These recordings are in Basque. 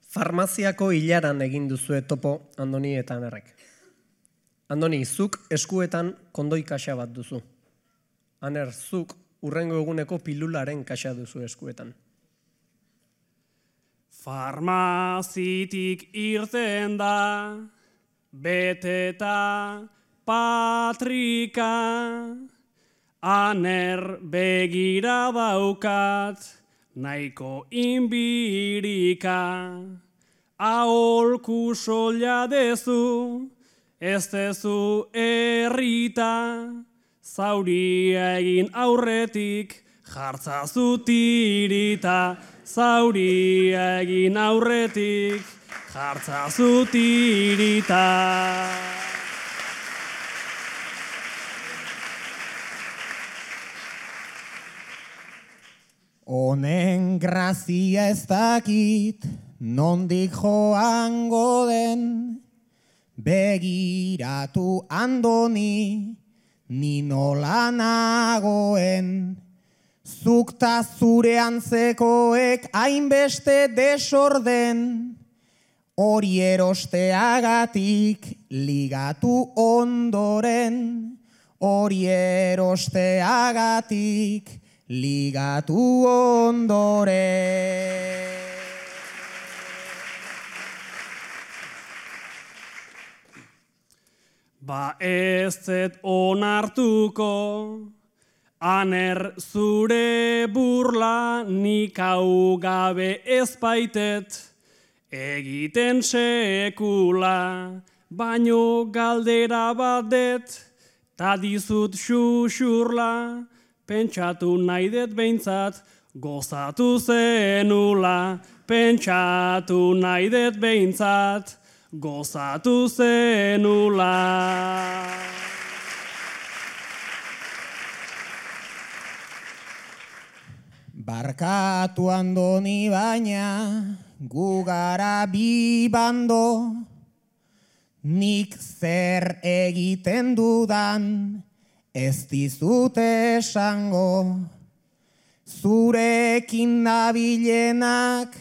Farmaziako hilaran egin duzue topo Andoni eta Anerrek. Andoni, zuk eskuetan kondoi kaxa bat duzu. Aner, zuk hurrengo eguneko pilularen kaxa duzu eskuetan. Farmazitik irten da, beteta patrika, Aner begira daukat, nahiko inbirika. Aholku soila dezu, ez dezu errita, zauria egin aurretik, jartzazu tirita. Zauria egin aurretik, jartzazu tirita. Honen grazia ez dakit, nondik joango den, begiratu Andoni, ni nola nagoen. Zuk ta zure antzekoek hainbeste desorden, hori erosteagatik ligatu ondoren, hori erosteagatik ligatu ondoren. Ba ez zet onartuko, Aner zure burla nik hau gabe ez baitet, egiten sekula, baino galdera bat det, ta dizut xuxurla, pentsatu nahi det behintzat, gozatu zenula, pentsatu nahi det behintzat, gozatu zenula. Barkatu Andoni baina, gu gara bi bando, nik zer egiten dudan, ez dizut esango. Zurekin nabilenak,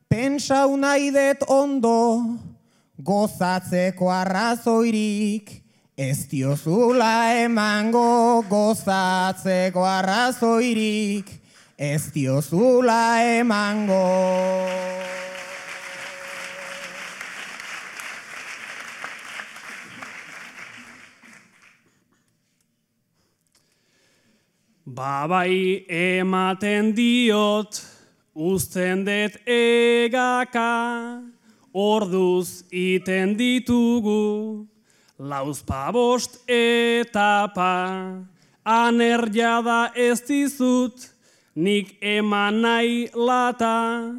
pentsau nahi det ondo, gozatzeko arrazoirik, ez diozula emango, gozatzeko arrazoirik, ez diozula emango. Babai ematen diot, uzten det egaka, orduz iten ditugu, lauzpabost etapa, Aner jada ez dizut, nik eman nahi lata,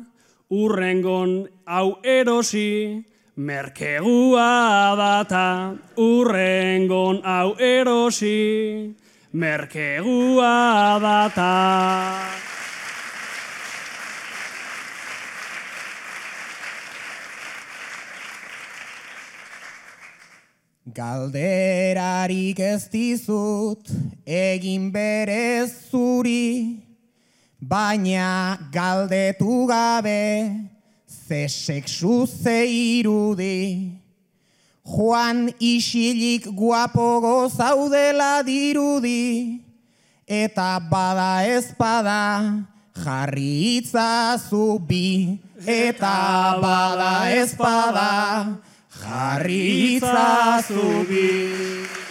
urrengon hau erosi, merkegua data. Urrengon hau erosi, merkegua data. Galderarik ez dizut, egin berez zuri, baina galdetu gabe, ze sexu ze irudi. Joan isilik guapogo zaudela dirudi, eta bada ez bada, jarri itzazu bi. Eta bada ez bada, jarri itzazu bi.